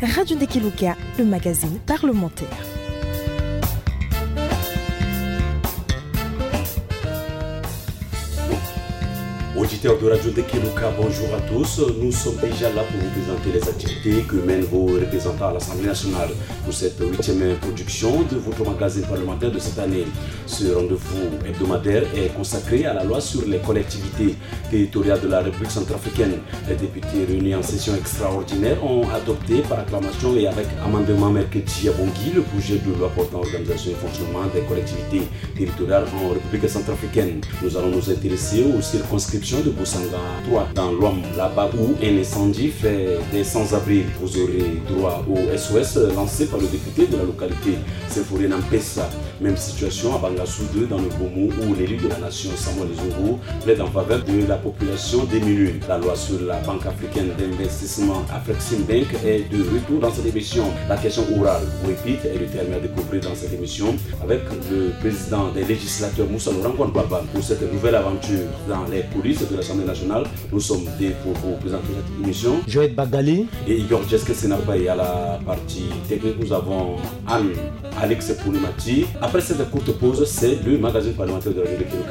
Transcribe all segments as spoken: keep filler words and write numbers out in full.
Radio Ndekeluka, le magazine parlementaire. Auditeurs de Radio Ndekeluka, bonjour à tous. Nous sommes déjà là pour vous présenter les activités que mènent vos représentants à l'Assemblée nationale. Pour cette huitième production de votre magazine parlementaire de cette année, ce rendez-vous hebdomadaire est consacré à la loi sur les collectivités territoriales de la République centrafricaine. Les députés réunis en session extraordinaire ont adopté par acclamation et avec amendement mercredi à Bangui le projet de loi portant organisation et fonctionnement des collectivités territoriales en République centrafricaine. Nous allons nous intéresser aux circonscriptions de Bosanga trois dans l'Ouham, là-bas où un incendie fait des sans-abri. Vous aurez droit au S O S lancé par le député de la localité, Sefore Nampesa. Même situation à Bangassou deux dans le Bomo où l'élu de la nation, Samuel Zongo, plaide en faveur de la population démunie. La loi sur la Banque africaine d'investissement, Afrexim Bank, est de retour dans cette émission. La question orale, ou épître, est le terme à découvrir dans cette émission avec le président des législateurs, Moussa Laurent Baba. Pour cette nouvelle aventure dans les coulisses de l'Assemblée nationale, nous sommes deux pour vous présenter cette émission. Joël Bagali et Igor Jeske Senapay à la partie technique. Nous avons Anne Alex Poulimati. Après cette courte pause, c'est le magazine parlementaire de la République.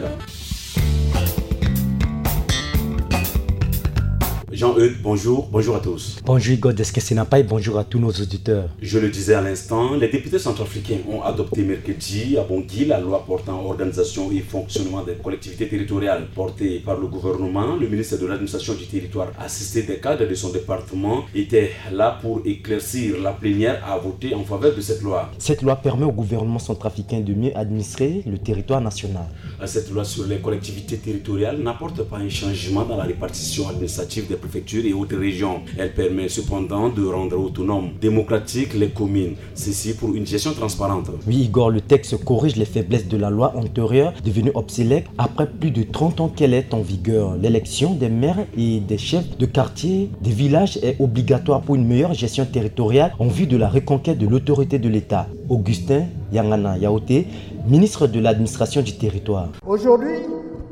Jean-Eudes, bonjour. Bonjour à tous. Bonjour Igor Jeske Senapay, bonjour à tous nos auditeurs. Je le disais à l'instant, les députés centrafricains ont adopté mercredi à Bangui la loi portant organisation et fonctionnement des collectivités territoriales portée par le gouvernement. Le ministre de l'administration du territoire, assisté des cadres de son département, était là pour éclaircir. La plénière a voté en faveur de cette loi. Cette loi permet au gouvernement centrafricain de mieux administrer le territoire national. Cette loi sur les collectivités territoriales n'apporte pas un changement dans la répartition administrative des préfectures et autres régions. Elle permet cependant de rendre autonomes, démocratiques les communes. Ceci pour une gestion transparente. Oui, Igor, le texte corrige les faiblesses de la loi antérieure, devenue obsolète après plus de trente ans qu'elle est en vigueur. L'élection des maires et des chefs de quartier des villages est obligatoire pour une meilleure gestion territoriale en vue de la reconquête de l'autorité de l'État. Augustin Yangana Yaoté, ministre de l'administration du territoire. Aujourd'hui,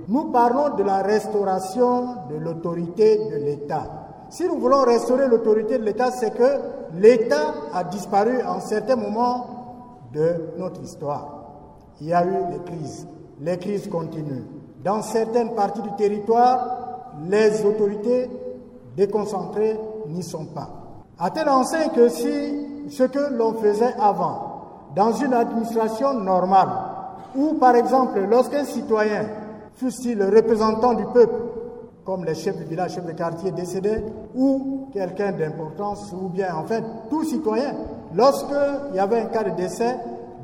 nous parlons de la restauration de l'autorité de l'État. Si nous voulons restaurer l'autorité de l'État, c'est que l'État a disparu en certains moments de notre histoire. Il y a eu des crises. Les crises continuent. Dans certaines parties du territoire, les autorités déconcentrées n'y sont pas. À telle enseigne que si ce que l'on faisait avant, dans une administration normale, où par exemple, lorsqu'un citoyen, fût-il le représentant du peuple, comme les chefs de village, chefs de quartier décédés, ou quelqu'un d'importance, ou bien en fait tout citoyen, lorsqu'il y avait un cas de décès,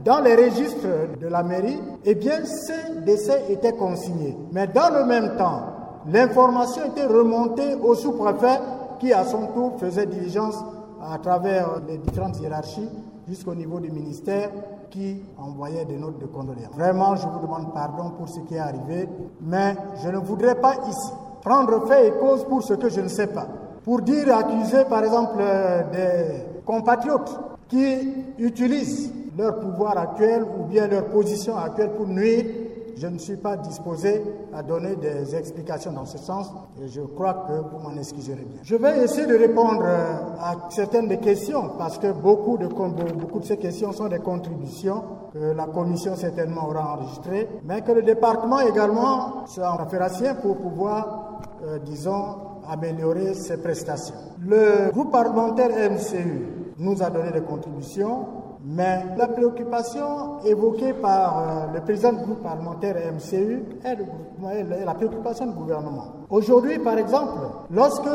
dans les registres de la mairie, eh bien, ces décès étaient consignés. Mais dans le même temps, l'information était remontée au sous-préfet qui, à son tour, faisait diligence à travers les différentes hiérarchies jusqu'au niveau du ministère qui envoyait des notes de condoléances. Vraiment, je vous demande pardon pour ce qui est arrivé, mais je ne voudrais pas ici prendre fait et cause pour ce que je ne sais pas. Pour dire, accuser, par exemple, euh, des compatriotes qui utilisent leur pouvoir actuel ou bien leur position actuelle pour nuire, je ne suis pas disposé à donner des explications dans ce sens et je crois que vous m'en excuserez bien. Je vais essayer de répondre, euh, à certaines des questions parce que beaucoup de, beaucoup de ces questions sont des contributions que la commission certainement aura enregistrées, mais que le département également sera en affaire pour pouvoir, euh, disons, améliorer ses prestations. Le groupe parlementaire M C U nous a donné des contributions, mais la préoccupation évoquée par, euh, le président du groupe parlementaire M C U est, le groupe, est la préoccupation du gouvernement. Aujourd'hui, par exemple, lorsque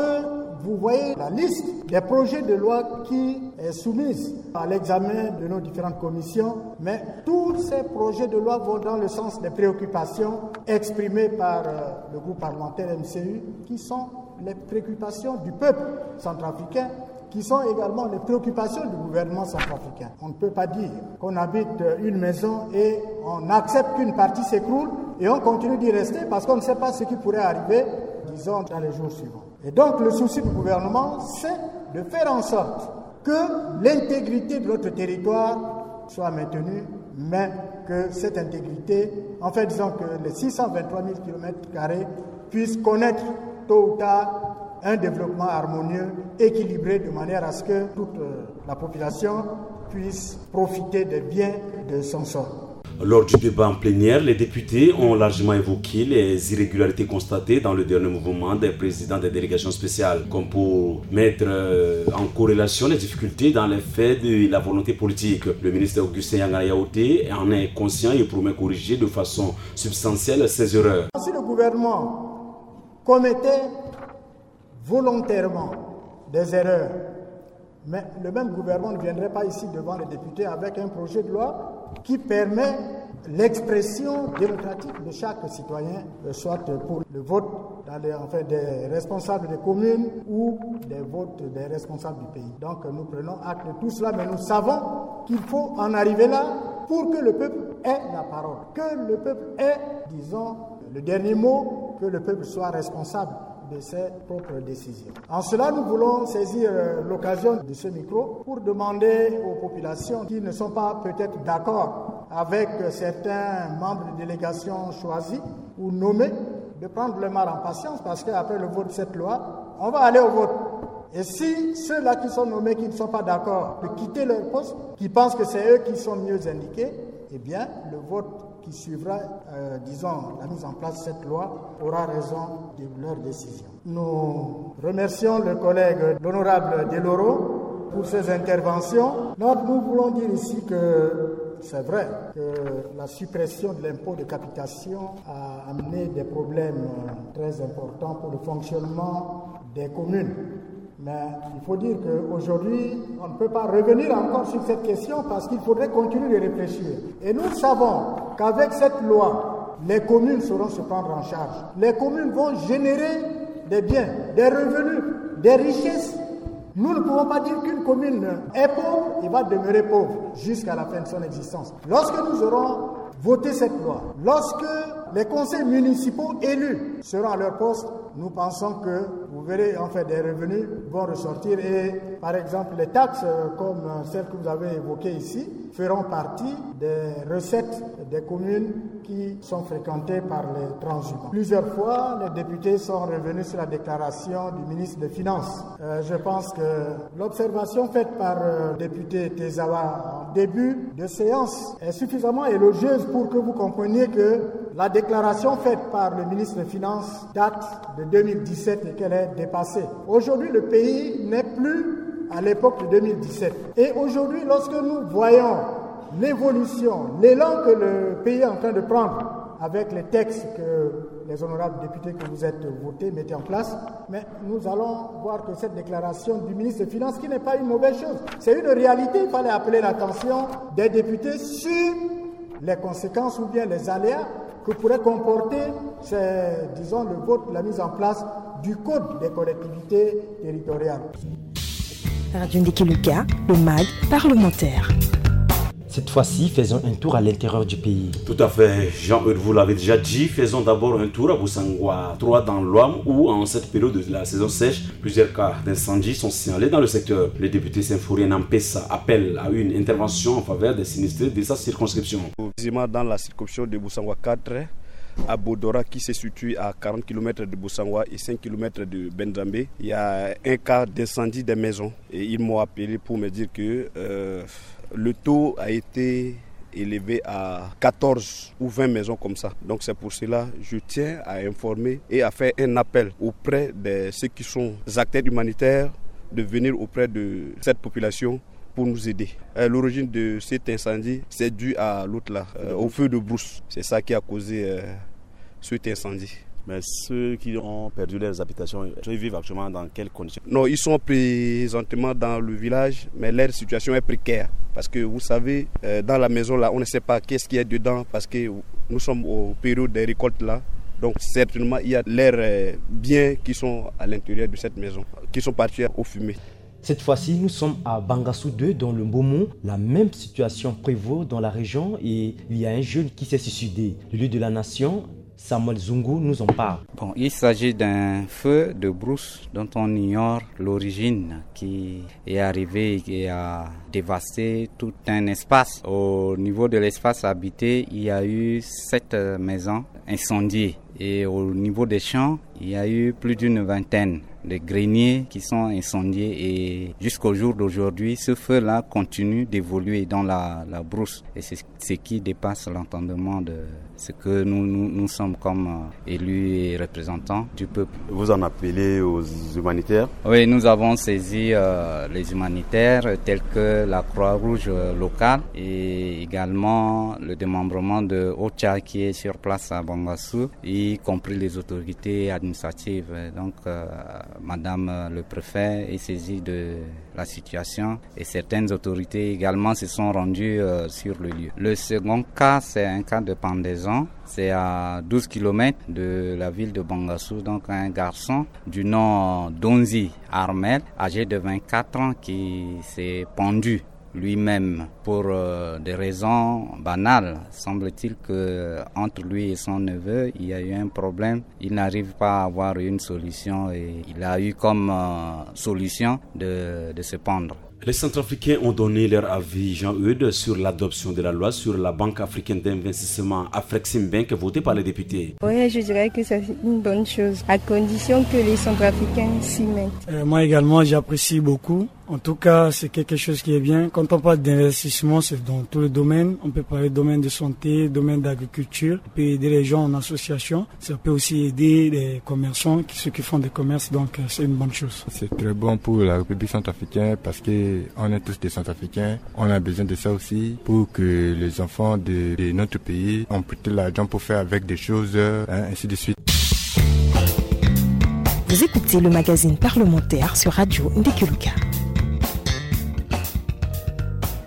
vous voyez la liste des projets de loi qui est soumise à l'examen de nos différentes commissions, mais tous ces projets de loi vont dans le sens des préoccupations exprimées par, euh, le groupe parlementaire M C U, qui sont les préoccupations du peuple centrafricain, qui sont également les préoccupations du gouvernement centrafricain. On ne peut pas dire qu'on habite une maison et on accepte qu'une partie s'écroule et on continue d'y rester parce qu'on ne sait pas ce qui pourrait arriver, disons, dans les jours suivants. Et donc, le souci du gouvernement, c'est de faire en sorte que l'intégrité de notre territoire soit maintenue, mais que cette intégrité, en fait, disons que les six cent vingt-trois mille kilomètres carrés puissent connaître tôt ou tard un développement harmonieux, équilibré, de manière à ce que toute euh, la population puisse profiter des biens de son sol. Lors du débat en plénière, les députés ont largement évoqué les irrégularités constatées dans le dernier mouvement des présidents des délégations spéciales, comme pour mettre euh, en corrélation les difficultés dans les faits de la volonté politique. Le ministre Augustin Yangana Yaoté en est conscient et promet corriger de façon substantielle ces erreurs. Si le gouvernement commettait volontairement des erreurs, mais le même gouvernement ne viendrait pas ici devant les députés avec un projet de loi qui permet l'expression démocratique de chaque citoyen, euh, soit pour le vote dans les, enfin, des responsables des communes ou des votes des responsables du pays. Donc nous prenons acte de tout cela, mais nous savons qu'il faut en arriver là pour que le peuple ait la parole, que le peuple ait, disons, le dernier mot, que le peuple soit responsable de ses propres décisions. En cela, nous voulons saisir euh, l'occasion de ce micro pour demander aux populations qui ne sont pas peut-être d'accord avec euh, certains membres de délégation choisis ou nommés de prendre le mal en patience, parce qu'après le vote de cette loi, on va aller au vote. Et si ceux-là qui sont nommés, qui ne sont pas d'accord, de quitter leur poste, qui pensent que c'est eux qui sont mieux indiqués, eh bien, le vote qui suivra, euh, disons, la mise en place de cette loi aura raison de leur décision. Nous remercions le collègue, l'honorable Deloro, pour ses interventions. Donc, nous voulons dire ici que c'est vrai que la suppression de l'impôt de capitation a amené des problèmes euh, très importants pour le fonctionnement des communes. Mais il faut dire qu'aujourd'hui, on ne peut pas revenir encore sur cette question parce qu'il faudrait continuer de réfléchir. Et nous savons qu'avec cette loi, les communes sauront se prendre en charge. Les communes vont générer des biens, des revenus, des richesses. Nous ne pouvons pas dire qu'une commune est pauvre et va demeurer pauvre jusqu'à la fin de son existence. Lorsque nous aurons voté cette loi, lorsque les conseils municipaux élus seront à leur poste, nous pensons que, vous verrez, en fait, des revenus vont ressortir et, par exemple, les taxes, euh, comme euh, celles que vous avez évoquées ici, feront partie des recettes des communes qui sont fréquentées par les transhumants. Plusieurs fois, les députés sont revenus sur la déclaration du ministre des Finances. Euh, je pense que l'observation faite par euh, le député Tezawa en début de séance est suffisamment élogieuse pour que vous compreniez que la déclaration faite par le ministre des Finances date de deux mille dix-sept et qu'elle est dépassée. Aujourd'hui, le pays n'est plus à l'époque de deux mille dix-sept. Et aujourd'hui, lorsque nous voyons l'évolution, l'élan que le pays est en train de prendre avec les textes que les honorables députés que vous êtes votés mettent en place, mais nous allons voir que cette déclaration du ministre des Finances, qui n'est pas une mauvaise chose, c'est une réalité, il fallait appeler l'attention des députés sur les conséquences ou bien les aléas que pourrait comporter, c'est, disons, le vote, la mise en place du code des collectivités territoriales. Radio Ndiki Luka, le mag parlementaire. Cette fois-ci, faisons un tour à l'intérieur du pays. Tout à fait, Jean-Eudes, vous l'avez déjà dit, faisons d'abord un tour à Boussangwa trois dans l'Ouham où, en cette période de la saison sèche, plusieurs cas d'incendie sont signalés dans le secteur. Le député Symphorien Nampesa appelle à une intervention en faveur des sinistrés de sa circonscription. Précisément dans la circonscription de Boussangwa quatre, à Bodora, qui se situe à quarante kilomètres de Boussangwa et cinq kilomètres de Bendrambe, il y a un cas d'incendie des maisons. Et ils m'ont appelé pour me dire que euh, le taux a été élevé à quatorze ou vingt maisons comme ça. Donc c'est pour cela que je tiens à informer et à faire un appel auprès de ceux qui sont acteurs humanitaires de venir auprès de cette population pour nous aider. Euh, l'origine de cet incendie, c'est dû à l'autre là, euh, au feu de brousse. C'est ça qui a causé euh, cet incendie. Mais ceux qui ont perdu leurs habitations, ils vivent actuellement dans quelles conditions ? Non, ils sont présentement dans le village, mais leur situation est précaire. Parce que vous savez, euh, dans la maison là, on ne sait pas qu'est-ce qu'il y a dedans, parce que nous sommes aux périodes des récoltes là. Donc certainement, il y a leurs euh, biens qui sont à l'intérieur de cette maison, qui sont partis aux fumées. Cette fois-ci, nous sommes à Bangassou deux, dans le Mbomou. La même situation prévaut dans la région et il y a un jeune qui s'est suicidé. L'élu de la nation, Samuel Zungu, nous en parle. Bon, il s'agit d'un feu de brousse dont on ignore l'origine, qui est arrivé et a dévasté tout un espace. Au niveau de l'espace habité, il y a eu sept maisons incendiées et au niveau des champs, il y a eu plus d'une vingtaine. des greniers qui sont incendiés et jusqu'au jour d'aujourd'hui, ce feu-là continue d'évoluer dans la, la brousse. Et c'est ce qui dépasse l'entendement de ce que nous, nous, nous sommes comme euh, élus et représentants du peuple. Vous en appelez aux humanitaires ? Oui, nous avons saisi euh, les humanitaires tels que la Croix-Rouge euh, locale et également le démembrement de Ocha qui est sur place à Bangassou, y compris les autorités administratives. Donc, euh, Madame euh, le préfet est saisie de la situation et certaines autorités également se sont rendues euh, sur le lieu. Le second cas, c'est un cas de pendaison. C'est à douze kilomètres de la ville de Bangassou, donc un garçon du nom Donzi Armel, âgé de vingt-quatre ans, qui s'est pendu lui-même pour euh, des raisons banales. Semble-t-il que entre lui et son neveu, il y a eu un problème. Il n'arrive pas à avoir une solution et il a eu comme euh, solution de, de se pendre. Les Centrafricains ont donné leur avis, Jean-Eudes, sur l'adoption de la loi sur la Banque africaine d'investissement Afrexim Bank votée par les députés. Oui, je dirais que c'est une bonne chose, à condition que les Centrafricains s'y mettent. Euh, moi également, j'apprécie beaucoup. En tout cas, c'est quelque chose qui est bien. Quand on parle d'investissement, c'est dans tous les domaines. On peut parler de domaine de santé, domaine d'agriculture. On peut aider les gens en association. Ça peut aussi aider les commerçants, ceux qui font des commerces. Donc, euh, c'est une bonne chose. C'est très bon pour la République centrafricaine parce que on est tous des Centrafricains. On a besoin de ça aussi pour que les enfants de, de notre pays ont plus d'argent pour faire avec des choses, hein, ainsi de suite. Vous écoutez le magazine parlementaire sur Radio Ndekeluka.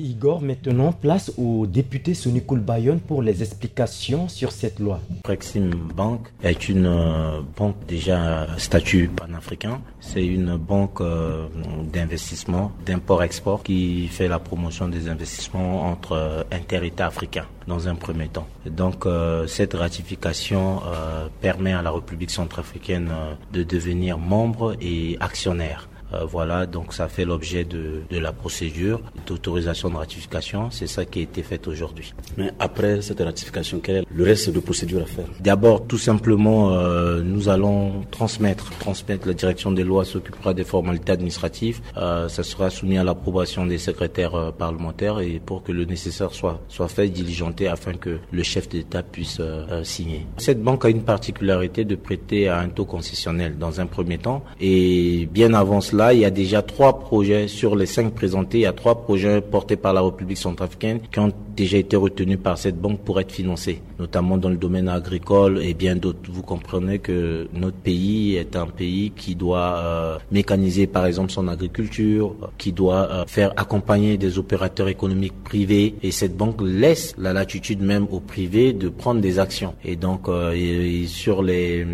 Igor, maintenant, place au député Sony Koulbayon pour les explications sur cette loi. Afrexim Bank est une euh, banque déjà à statut panafricain. C'est une banque euh, d'investissement, d'import-export qui fait la promotion des investissements entre euh, inter-États africains dans un premier temps. Donc euh, cette ratification euh, permet à la République centrafricaine euh, de devenir membre et actionnaire. Euh, voilà, donc ça fait l'objet de, de la procédure d'autorisation de ratification. C'est ça qui a été fait aujourd'hui. Mais après cette ratification, quel est le reste de procédure à faire ? D'abord, tout simplement, euh, nous allons transmettre, transmettre la direction des lois s'occupera des formalités administratives. Euh, ça sera soumis à l'approbation des secrétaires euh, parlementaires et pour que le nécessaire soit, soit fait, diligenté, afin que le chef d'État puisse euh, euh, signer. Cette banque a une particularité de prêter à un taux concessionnel dans un premier temps. Et bien avant cela, il y a déjà trois projets sur les cinq présentés. Il y a trois projets portés par la République centrafricaine qui ont déjà été retenus par cette banque pour être financés, notamment dans le domaine agricole et bien d'autres. Vous comprenez que notre pays est un pays qui doit euh, mécaniser, par exemple, son agriculture, qui doit euh, faire accompagner des opérateurs économiques privés. Et cette banque laisse la latitude même aux privés de prendre des actions. Et donc, euh, et, et sur les,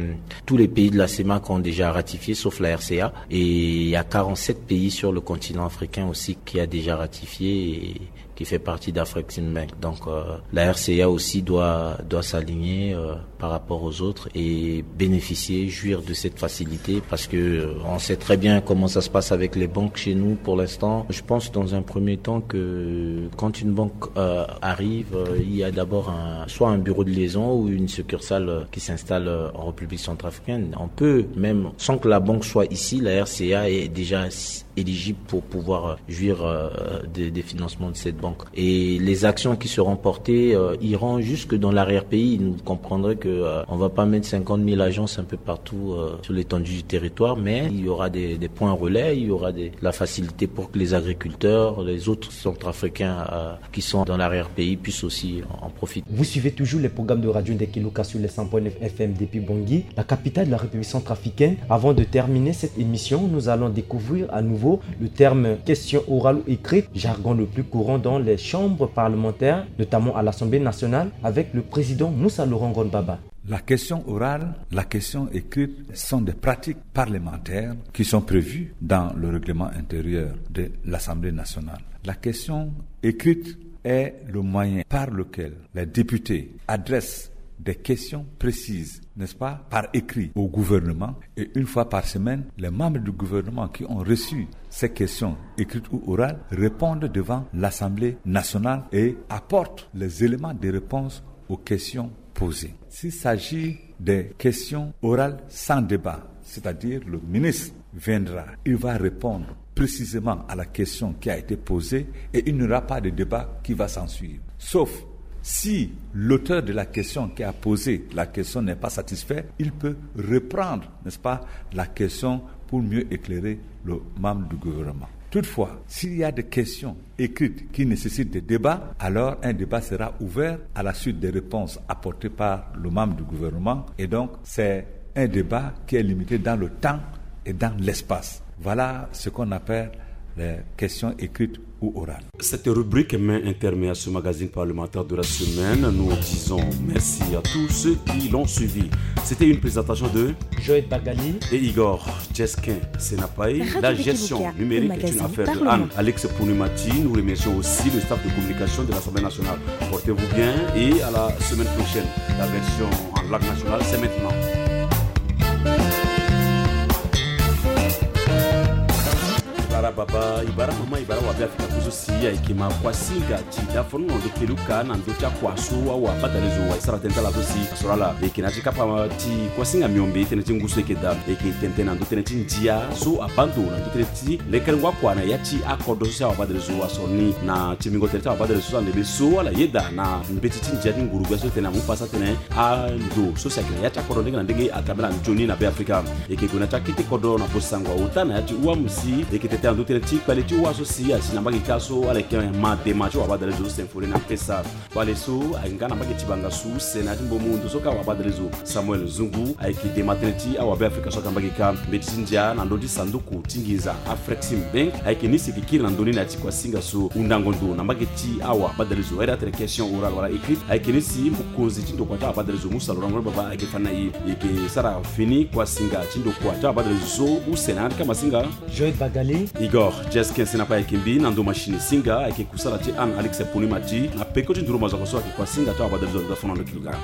tous les pays de la CEMAC ont déjà ratifié, sauf la R C A. Et il y a quarante-sept pays sur le continent africain aussi qui a déjà ratifié et qui fait partie d'Afrexim Bank. Donc euh, la R C A aussi doit, doit s'aligner euh, par rapport aux autres et bénéficier, jouir de cette facilité parce que euh, on sait très bien comment ça se passe avec les banques chez nous pour l'instant. Je pense dans un premier temps que quand une banque euh, arrive, euh, il y a d'abord un, soit un bureau de liaison ou une succursale euh, qui s'installe euh, en République centrafricaine. On peut même, sans que la banque soit ici, la R C A est déjà éligibles pour pouvoir euh, jouir euh, des, des financements de cette banque. Et les actions qui seront portées euh, iront jusque dans l'arrière-pays. Vous comprendrez que euh, on va pas mettre cinquante mille agences un peu partout euh, sur l'étendue du territoire, mais il y aura des, des points relais, il y aura des, la facilité pour que les agriculteurs, les autres centrafricains euh, qui sont dans l'arrière-pays puissent aussi en profiter. Vous suivez toujours les programmes de Radio Ndekeluka sur les cent point neuf F M depuis Bangui, la capitale de la République centrafricaine. Avant de terminer cette émission, nous allons découvrir à nouveau le terme question orale ou écrite, jargon le plus courant dans les chambres parlementaires, notamment à l'Assemblée nationale, avec le président Moussa Laurent Ngonbaba. La question orale, la question écrite sont des pratiques parlementaires qui sont prévues dans le règlement intérieur de l'Assemblée nationale. La question écrite est le moyen par lequel les députés adressent des questions précises, n'est-ce pas, par écrit au gouvernement. Et une fois par semaine, les membres du gouvernement qui ont reçu ces questions écrites ou orales répondent devant l'Assemblée nationale et apportent les éléments de réponse aux questions posées. S'il s'agit des questions orales sans débat, c'est-à-dire le ministre viendra, il va répondre précisément à la question qui a été posée et il n'y aura pas de débat qui va s'en suivre. Sauf si l'auteur de la question qui a posé la question n'est pas satisfait, il peut reprendre, n'est-ce pas, la question pour mieux éclairer le membre du gouvernement. Toutefois, s'il y a des questions écrites qui nécessitent des débats, alors un débat sera ouvert à la suite des réponses apportées par le membre du gouvernement. Et donc, c'est un débat qui est limité dans le temps et dans l'espace. Voilà ce qu'on appelle les questions écrites ou orales. Cette rubrique met un terme à ce magazine parlementaire de la semaine. Nous disons merci à tous ceux qui l'ont suivi. C'était une présentation de Joël Bagali et Igor Jesquin Senapai. La gestion numérique est une affaire de Anne Alex Pounimati. Nous remercions aussi le staff de communication de l'Assemblée nationale. Portez-vous bien et à la semaine prochaine. La version en langue nationale, c'est maintenant. Ibara baba, ibara mama, ibara wabe Afrika kuzo si ayeke ma kuasinga ti dafono na ndo kelu ka na ndo ti akua so awa badale zo wa e sara tënë ti ala so si asoro ala. E yeke na ya ti kapa ti kuasinga miombe tënë ti ngu so e yeke daa. E yeke tene tënë na ndo tënë ti ndia so abaa ndo na ndo tënë ti lekerengo akua na ya ti akodro so si awa badale zo asoro ni na timbingo tënë ti awa badale zo so ande be so ala yeda na mbeti ti ndia ti nguru gbia so e tene amu pasa atene ando so si ayeke na ya ti akodro ndenge na ndenge atambela nzoni na Be Afrika. E yeke gue na ya ti akete kodro na bosango auta na ya ti uamu si e yeke tene tënë na ndo tënë ti kpale ti wa so si asi na mbage kâ so ala yeke ma dema ti awa badale zo so symphonie na pesa. Kpale so ahinga na mbage ti banga su sena ti mbomu ndo so ka awa badale zo Samuel Zungu ayeke dema tënë ti awa Be Afrika so aka mbage kâ. Mbeti ti ndia na ndö ti sanduku ti nginza Afrexim Bank ayeke ni si e yeke kiri na ndö ni na ya ti kuasinga so hundango ndo na mbage ti awa badale zo. Aye da atene question orale wala écrite ayeke ni si mokonzi ti ndokua ti awa badale zo mu salorango ni baba ayeke fa na e. E yeke sara fini kuasinga ti ndokua ti awa badale zo so use na yanga ti kamasinga. Joël Bagali. Igor Jesquin Senapai ayeke mbi na ndo machine singa ayeke kusala ti Anne Alex Pounimati na peko ti nduru mazoko so ayeke kuasinga ti awa badale zo ndo fana ndo kiluka.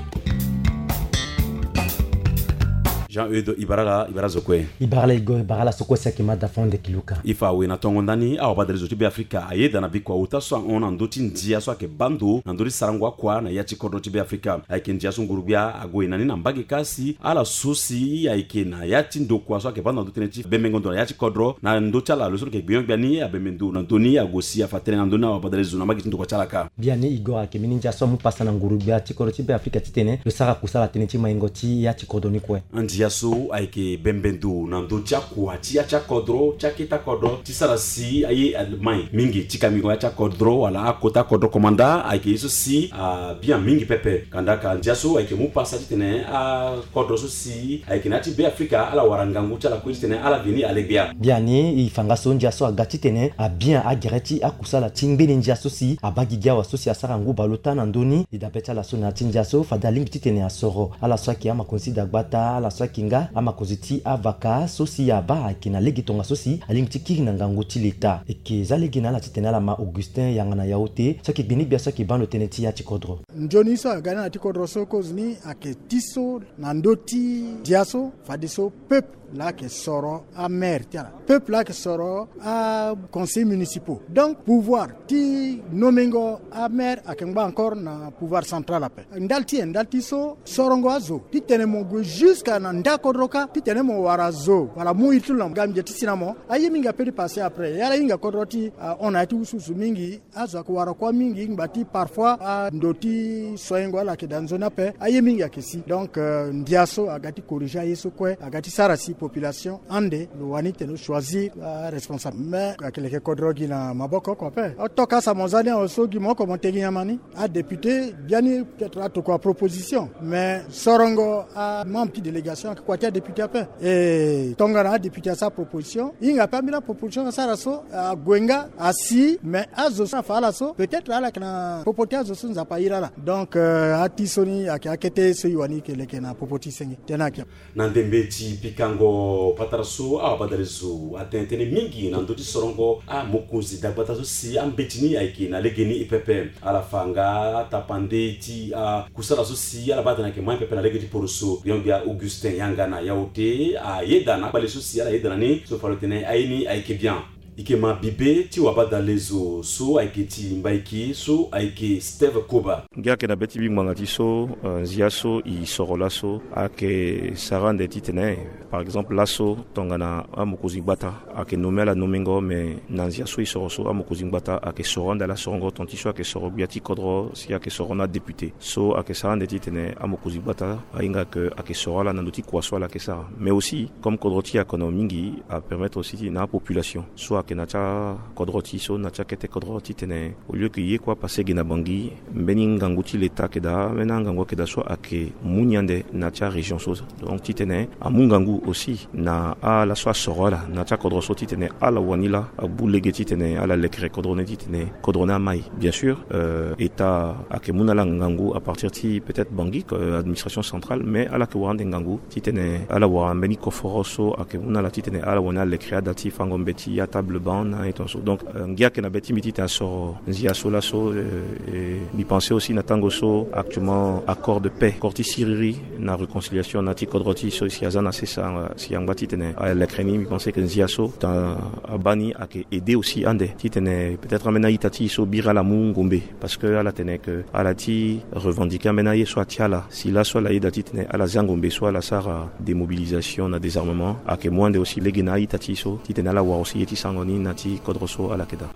Jean Eudo, ibara la, ibara zo kue. Ibara la Igor, ibara la so kue si ayeke ma da fo nde kiluka. I fa awe na tongo ndani awa badale zo ti Be Afrika ayeda na bikua ota so ahon na ndö ti ndia so ayeke baa ndo na ndö ti sarango akua na ya ti kodro ti Be Afrika. Ayeke ndia so nguru gbia ague na ni na mbage kâ si ala so si ayeke na ya ti ndokua so ayeke baa ndo na ndö tënë ti bembengo ndo na ya ti kodro na ndö ti ala lo so lo yeke gbenyo-gbia ni abembe ndo na ndö ni ague si afa tënë na ndö ni awa badale zo na mbage ti ndokua ti ala kâ. Biani Igor, ayeke mbeni ndia so amu pasa na nguru gbia ti kodro ti Be Afrika titene lo sara kusala tënë ti maingo ti ya ti kodro ni kue. Andia so ayeke bembe ndo na ndö ti akua ti ya ti akodro ti akete akodro ti sara si aye amai mingi ti kamigo ya ti akodro wala akota akodro komanda ayeke ye so si abia mingi pepe. Kandaka ndia so ayeke mu pasa titene akodro so si ayeke na ya ti Be Afrika ala wara ngangu ti ala kue titene ala veni alegbia. Biani e fa nga so ndia so aga titene abia agere ti akusala ti ngbene ndia so si abaa gigi awa so si asara ngu baleota na ndö ni. E dabe ti ala so na ya ti ndia so fade alingbi titene asoro ala so ayeke amakonzi ti dagbata, ala so ayeke nga amakonzi ti avaka so si abaa ayeke na lege tongaso si alingbi ti kiri na ngangu ti leta. E yeke za lege na ala titene ala ma Augustin Yangana Yaote so ayeke gbeni gbia so ayeke baa ndo tënë ti ya ti kodro. Nzoni so aga ni na ya ti kodro so kozo ni ayeke ti so na ndö ti ndia so fadeso peuple laa ayeke soro amaire ti ala. Peuple laa ayeke soro aconseillers municipaux. Donc pouvoir ti nomengo amaire ayeke ngba encore na pouvoir central ape. Ndali ti e ndali ti so sorongo azo titene mo gue jusqu'à na nda kodro kâ titene mo wara zo wala mu iri ti lo na ngambi ti si na mo. Aye mingi apeut ti passer après. Ala hinga kodro ti ahon na ya ti wusuwusu mingi. Azo ayeke wara kuâ mingi ngba ti parfois ando ti soengo ala yeke daa nzoni ape. Aye mingi ayeke si. Donc ndia so aga ti corriger aye so kue aga ti sara si population ande lo wani titene lo choisir aresponsable. Mais ayeke leke kodro gi na maboko oko ape. Otoka sa mo za ni awe so gi mo oko mo te gi nyama ni. Adéputé biani peut-être atokua proposition. Mais sorongo amembre ti délégation ayeke kua ti adéputé ape. E tongana adéputé asara proposition e hinga ape ambeni aproposition asara so ague nga asi. Mais azo so afa ala so peut-être ala yeke na popo ti azo so Nzapa airi ala. Donc ati so ni ayeke akete so e wani e yeke leke na popo ti senge tënë ayeke. Na ndembe ti pikango patara so awa badale zo atene tënë mingi na ndö ti sorongo amokonzi dagbata so si ambeti ni ayeke na legeni e pepe. Ala fa nga atapande ti akusala so si ala baa atene ayeke mai pepe na lege ti poroso. Gbenyo-gbia Augustin Yangana Yaote ayeda na akpale so si ala yeda na ni so fa lo tene aye ni ayeke bien. Ike ma bibe ti wabadalezo so ayeke ti Mbaiki so ayeke Steve Koba. Ngia ayeke na be ti mbi ngbanga ti so, eh, nzia so e soro laso ayeke sara ande titene, par exemple, laso tongana amokonzi-gbata ayeke nommé ala nomengo, me na nzia so e soro so amokonzi-gbata ayeke soro ande ala sorongo tonga ti so ayeke soro gbia ti kodro si ayeke soro na député. So ayeke sara ande titene amokonzi-gbata ahinga ke ayeke soro ala na ndö ti kua so ala yeke sara. Mais aussi, comme kodro ti e ayeke na mingi, apermettre aussi ti na apopulation so ayeke na ti akodro ti e so, na ti akete kodro titene, au lieu ke ye kue apasse ge na Bangui, mbeni ngangu ti Leta ayeke daa, ambeni angangu ayeke daa so ayeke mu ni ande na ti arégion so. Donc titene amu ngangu aussi na ala so asoro ala na ti akodro so titene ala wani laa agbu lege titene ala lekere kodro ni titene kodro ni amai. Bien sûr, euh, État ayeke mu na ala ngangu à partir ti peut-être Bangui, euh, administration centrale, mais ala yeke wara ande ngangu titene ala wara mbeni koforo so ayeke mu na ala titene ala wani alekere ada ti fango mbeti, atable banc na aye tongaso. Donc, euh, ngia ayeke na be ti mbi titene asoro nzia so laso, euh, et mbi pense aussi na tango so actuellement accord de paix, accord ti siriri na réconciliation na ti kodro ti e so si aza na sesa, si angba titene alekere ni, mbi pense ke nzia so ta abaa ni ayeke aider aussi ande titene peut-être ambeni a-ita ti e so biri ala mu ngombe, parce que ala tene ke ala ti revendiquer ambeni aye so atia ala. Si laso ala yeda titene ala zia ngombe so ala sara démobilisation na désarmement, ayeke mu ande aussi lege na a-ita ti e so titene ala wara aussi ye ti sarango ni na ti kodro so ala yeke daa.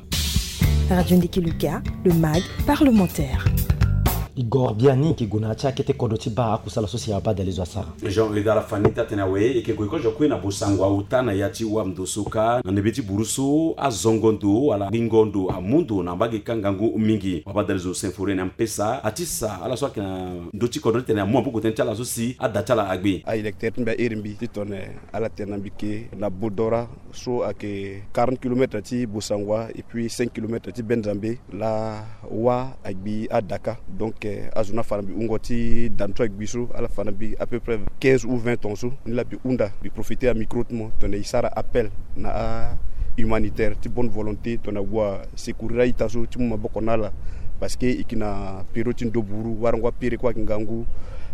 Radio Ndiki Luka, le mag parlementaire. Igor Biani yeke gue na ya ti akete kodro ti baa akusala so si abadalezo asara. Jean Euda Lafani ti atene awe, e yeke gue kozo kue na bosango auta na ya ti wamndo so kâ na ndembe ti buru so azongo ndo wala gbingo ndo amu ndo na mbage kâ ngangu mingi. Wabadalezo Symphorien Nampesa atisa ala so ayeke na ndö ti kodro titene amu maboko tënë ti ala so si ada ti ala agbe. A-électeur ti mbi airi mbi titene ala tene na mbi ke na Bodora so ayeke quarante kilomètres ti Bossangoa et puis cinq kilomètres ti Benzambe, laa wâ agbi ada kâ. Donc, eh, azo ni afa na mbi wungo ti da ni so agbi so, ala fa na mbi à peu près quinze ou vingt tonnes so. Ni laa mbi hunda, mbi profiter ya micro ti mo tongana e sara appel na a-humanitaire ti bonne volonté tongana ague asecourir a-ita so ti mu maboko na ala. Parce que e yeke na période ti ndo buru, warango apere kue ayeke ngangu,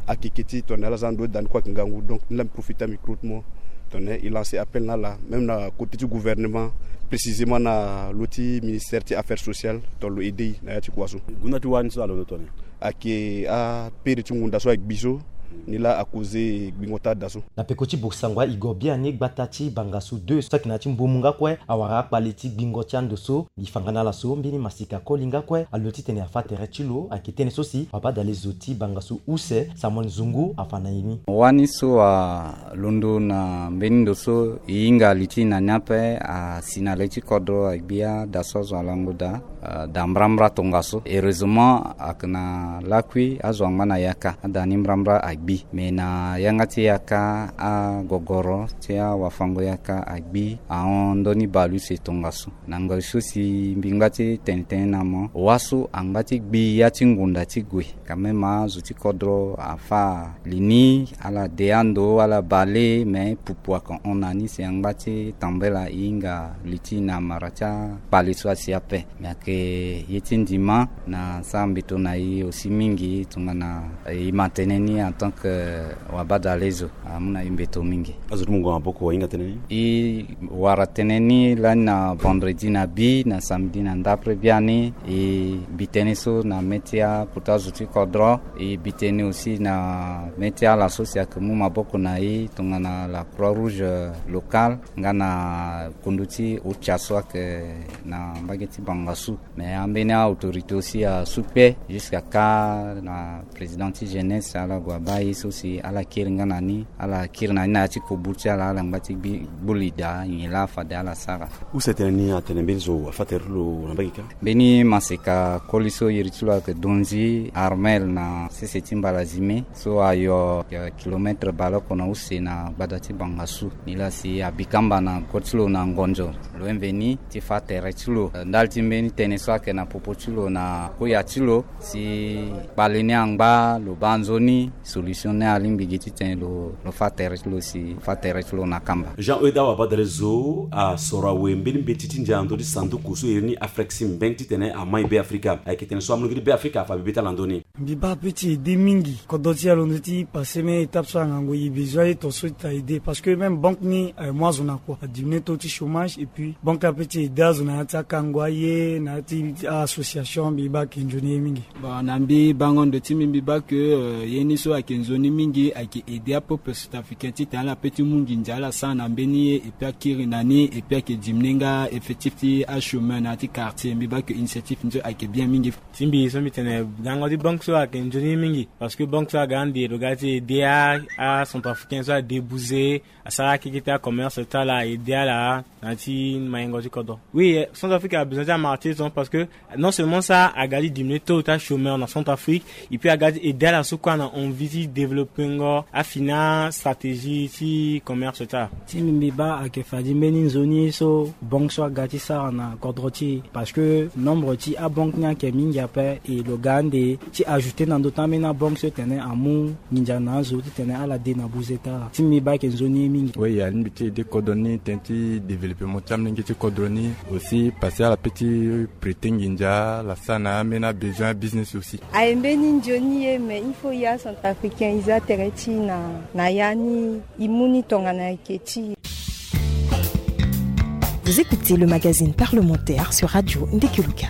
akeke ti tongana ala za na ndo ti da ni kue ayeke ngangu. Donc ni laa mbi profiter ya micro ti mo tongana e lancer appel na ala, même na côté ti gouvernement, précisément na lo ti ministère ti affaires sociales, tongana lo aider e na ya ti kua so. Gunda ti wani so alondo tongana ayeke apere ti ngunda so agbi so, ni laa acauser gbingo ti ada so. Na peko ti Bossangoa, Igor Biani, gbata ti Bangassou deux so ayeke na ya ti Mbomou nga kue, awara akpale ti gbingo ti ando so. Mbi fa nga na ala so mbeni masika koli nga kue, alo titene afa tere ti lo, ayeke tënë so si wabadalezo ti Bangassou use, Samuel Nzungu, afa na e ni. Wani so alondo na mbeni ndo so e hinga li ti na ni ape, asi na le ti kodro agbi ada so azo alango daa, ah, daa mbrambra tongaso. Heureusement, ayeke na lakui azo angba na yaka, ada ni mbrambra agbi. Me na yanga ti yaka, agogoro ti awafango yaka agbi ahon ndö ni bale use tongaso. Na ngoi so si mbi ngba ti tene tënë na mo, wâ so angba ti gbi ya ti ngunda ti gue. Quand même azo ti kodro afa li ni, ala de ando, ala bale, me pupu ayeke hon na ni si angba ti tambela e hinga li ti na mara ti akpale so asi ape. Me ayeke ye ti ndima na sara mbeto na e aussi mingi tongana e ma tënë ni en tant que wabadalezo. Amu na e mbeto mingi. Azo ti mungo maboko ahinga tënë ni? E wara tënë ni lani na vendredi na bi, na samedi na ndapre biani. E bi tënë so na mê ti akota zo ti kodro. E bi tënë aussi na mê ti ala so si ayeke mu maboko na e tongana la Croix Rouge locale nga na kundu ti OCHA so ayeke na mbage ti Bangassou. Mais ambeni autorité aussi asu kpe jusqu'à kâ na président ti jeunesse, ala gue abaa ye so si ala kiri nga na ni, ala kiri na ni na ya ti koburu ti ala, ala ngba ti gbi, gbu li daa nyen laa fade ala sara. Use tënë ni atene mbeni zo afa tere ti lo na mbage kâ? Mbeni maseka koli so iri ti lo ayeke Donzi Armel na sese ti Mbalazime so ayo, eh, kilomètre baleoko na use na gbada ti Bangassou. Ni laa si abi kamba na koli ti lo na ngonzo, lo mveni ti fa tere ti lo. Eh, ndali ti mbeni tënë so ayeke na popo ti lo na koya ti lo, si kpale ni angba, lo baa nzoni, so Mission ni alingbi gi titene lo lo fa tere ti lo si fa tere ti lo na kamba. Jean Euda Wabadalezo asoro awe mbeni mbeti ti ndia na ndö ti sanduku so iri ni Afrexim Bank titene amai Be Afrika. Ayeke tene so amolenge ti Be Afrika afa bebe ti ala na ndö ni. Mbi baa pe ti aide mingi kodro ti e alondo ti passé même étape so angango e besoin ye ton so ti ta aide parce que même banque ni aye mu azo na kua, adiminuer taux ti chômage et puis banque ape ti aide azo na ya ti akango aye na ya ti association. Mbi baa ayeke nzoni ye mingi. Bon, na mbi bango ndo ti mbi mbi baa ke euh, ye ni so ayeke nzoni mingi ayeke aide apeuple centrafricain titene ala pe ti mu nginza ala sara na mbeni ye et puis akiri na ni et puis ayeke diminuer nga effectif ti achômeur na ya ti quartier. Mbi baa ke initiative ni so ayeke bien mingi. Ti mbi so mbi tene gango ti banque so ayeke nzoni mingi parce que banque so aga ande lo ga ti aide acentrafricain so adébouze asara akeke ti acommerce ti ala aide ala na ya ti mayengo ti kodro. Oui, centrafrique abesoin ti amarché ti son parce que non seulement ça aga ti diminuer taux ti achômeur na centrafrique et puis aga ti aide ala so kue na envie ti développengo afini astratégie ti commerce ti ala. Ti mbi mbi baa ayeke fadi mbeni nzoni so banque so aga ti sara na kodro ti e parce que nombre ti abanque ni ayeke mingi ape. E lo ga ande ti ajouter na ndö ti ambeni abanque so tene amu nginza na azo titene ala de na buze ti ala. Ti mbi baa ayeke nzoni ye mingi. Oui, alingbi ti aide kodro ni tënë ti développement ti amolenge ti kodro ni aussi parce que ala pe ti prêter nginza ala sara na ambeni abesoin business aussi. Aye mbeni nzoni ye mais il faut ya centrafricain e za tere ti e na na ya ni e mu ni tongana ayeke ti e. Vous écoutez le magazine parlementaire sur Radio Ndekeluka.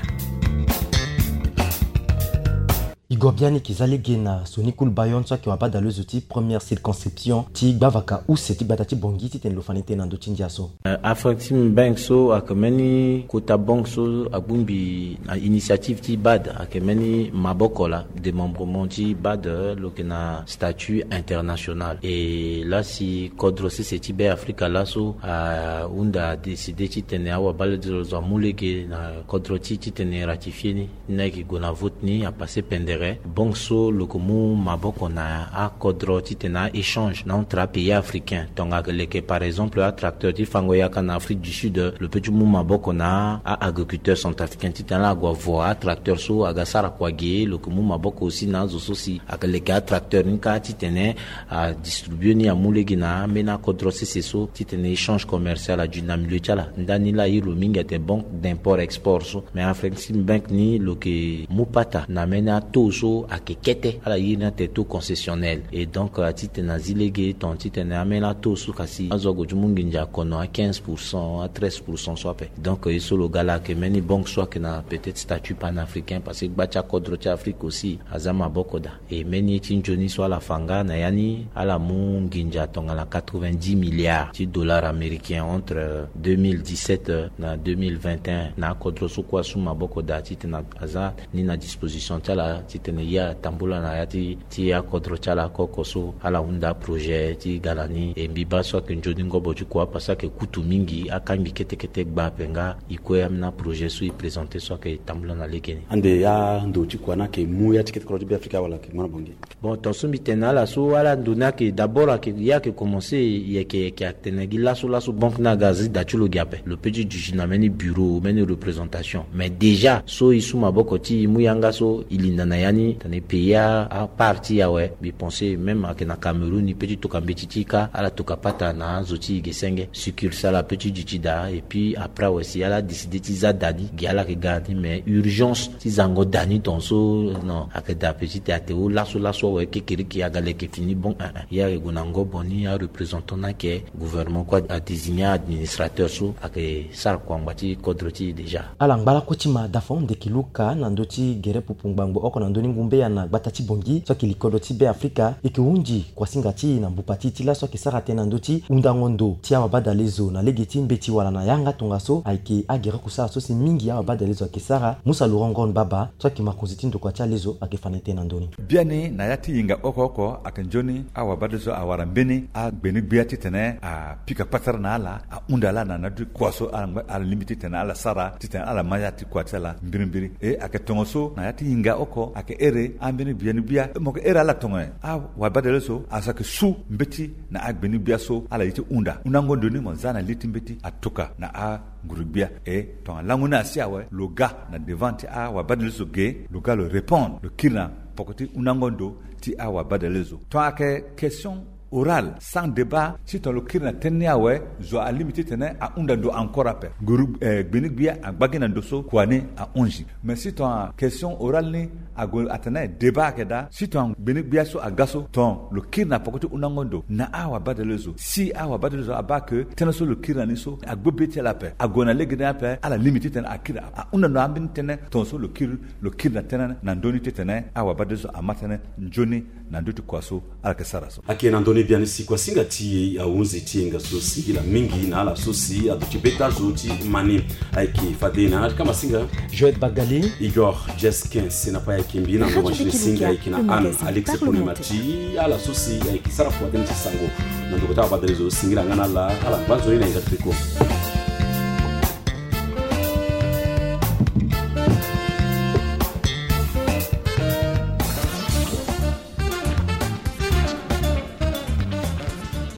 E gue biani e ke za lege na Sony Cool Bayon so ayeke wabadalezo ti première circonscription ti gbavaka use ti gbata ti Bangui titene lo fa ni tënë na ndö ti ndia so. Afrexim Bank so ayeke mbeni kota banque so abongbi na initiative ti bad ayeke mbeni maboko laa, démembrement ti bad lo yeke na statut international. E laa si kodro sese ti Be Afrika laso ahunda adécider titene awabadalezo amu lege na kodro ti e titene e ratifier ni. Ni ayeke gue na vote ni apasser pendere. Banque so lo yeke mu maboko na akodro titene a-échange na entre apays africain. Tongana ayeke leke par exemple atracteur ti fango yaka na Afrique du Sud, lo pe ti mu maboko na a-agriculteur centrafricain titene ala gue avo atracteur so aga sara kua ge. Lo yeke mu maboko aussi na azo so si ayeke leke atracteur ni kâ titene adistribue ni amu lege na ambeni akodro sese so titene échange commercial adu na milieu ti ala. Ndani laa a iri lo mingi atene banque d'import export so. Mais Afrexim Bank ni lo yeke mu pata na ambeni ataux so ayeke kete, ala iri ni atene taux concessionnel. Et donc atitene azi lege tongana titene ambeni ataux so kasi azo ague ti mu nginza akono a quinze pour cent, a treize pour cent so ape. Donc ye so lo ga laa ayeke mbeni banque so ayeke na peut-être statut panafricain parce que gba ti akodro ti Afrique aussi aza maboko daa. E mbeni ye ti nzoni so ala fa nga na ya ni, ala mu nginza tongana quatre-vingt-dix milliards ti dollars américains entre deux mille dix-sept na deux mille vingt et un na akodro so kue asu maboko daa titene aza ni na disposition ti ala titene ye atambula na ya ti ti akodro ti ala oko oko so ala hunda aprojet ti ga na ni. E mbi baa so ayeke nzoni ngobo ti kua parce que ayeke kutu mingi, akangbi kete kete gba ape nga e kue ambeni aprojet so e présenter so ayeke tambula na lege ni. Ande ando ti kua ni ayeke mu ya ti kete kodro ti Be Afrika wala ayeke mu na Bangui? Bon, tongaso mbi tene na ala so ala ndo ni ayeke d'abord ayeke ye ayeke commencer, e yeke yeke atene gi laso laso banque ni aga azi da ti lo gi ape. Lo pe ti duti na mbeni bureau, mbeni représentation. Mais déjà so e su maboko ti e mu yanga so e linda na ya ni tene e payer apart ti e awe. Mbi pense même ayeke na Cameroun e pe ti toka mbeti ti e kâ, ala toka pata na azo ti e ge senge. Succursale ape ti duti daa et puis après awe si ala décider ti za da ni gi ala yeke ga na ni, mais urgence ti zango da ni tongaso non, ayeke daa petit, ayeke hunda laso laso awe, kekereke aga leke fini bon, eh, eh. Ye ayeke gue na ngobo ni, areprésentant ni ayeke gouvernement kue adésigner administrateur so ayeke sara kua ngba ti kodro ti e déjà. Ala ngba lakue ti ma da fon ndeke luka na ndö ti gere pupu ngbangbo oko na ndö ni ngumbeya na gbata ti Bangui so ayeke li kodro ti Be Afrika. E yeke hunzi kuasinga ti e na mbupa ti e ti laso ayeke sara tënë na ndö ti hundango ndo ti awabadalezo na lege ti mbeti wala na yanga tongaso ayeke agere kusala so si mingi awabadalezo ayeke sara. Musa Laurent Ngon Baba so ayeke mokonzi ti ndokua ti alezo ayeke fa na e tënë na ndö ni. Biani na ya ti hinga oko oko ayeke nzoni awabadalezo awara mbeni agbeni-gbia titene apika patara na ala, ahunda ala na ndö ti kua so ala ngba, ala lingbi titene ala sara titene ala ma ya ti kua ti ala mbirimbiri. E ayeke tongaso na ya ti hinga oko ayeke ere ambeni biani-gbia, mo yeke ere ala tongana nyen? Awabadalezo azo ayeke su mbeti na agbeni-gbia so ala ye ti hunda. Hundango ndo ni mo za na li ti mbeti atoka na a nguru-gbia. E tongana lango ni asi awe, lo ga na devant ti awabadalezo ge, lo ga lo répondre, lo kiri na poko ti hundango ndo ti awabadalezo. Ton ayeke question orale sans débat, si ton lo kiri na tënë ni awe, zo alingbi titene ahunda ndo encore ape. Guru gbeni gbia agba gi na ndo so kua ni ahunzi. Mais si ton question orale ni ague atene débat ayeke daa, si ton gbeni gbia so aga so ton lo kiri na poko ti hundango ndo na awabadalezo, si awabadalezo abaa ke tënë so lo kiri na ni so agbe be ti ala ape, ague na lege ni ape, ala lingbi titene akiri ahunda ndo ambeni tënë ton so lo kiri lo kiri na tënë na ndö ni titene awabadalezo ama tënë nzoni na ndö ti kua so ala yeke sara so. Ayeke na ndö ni biani si kuasinga ti e ahunzi ti e nga so singila mingi na ala so si aduti beta zo ti ma ni. Ayeke fade na yanga ti kamasinga Joël Bagali, Igor Jesquin, si na pa ayeke mbi na ndongo ti ni singa ayeke na Anne Alex Ponema ti ala so si ayeke sara kua tënë ti sango na ndoko ti awabadalezo. Singila nga na ala, ala ngba nzoni na yanga ti peko.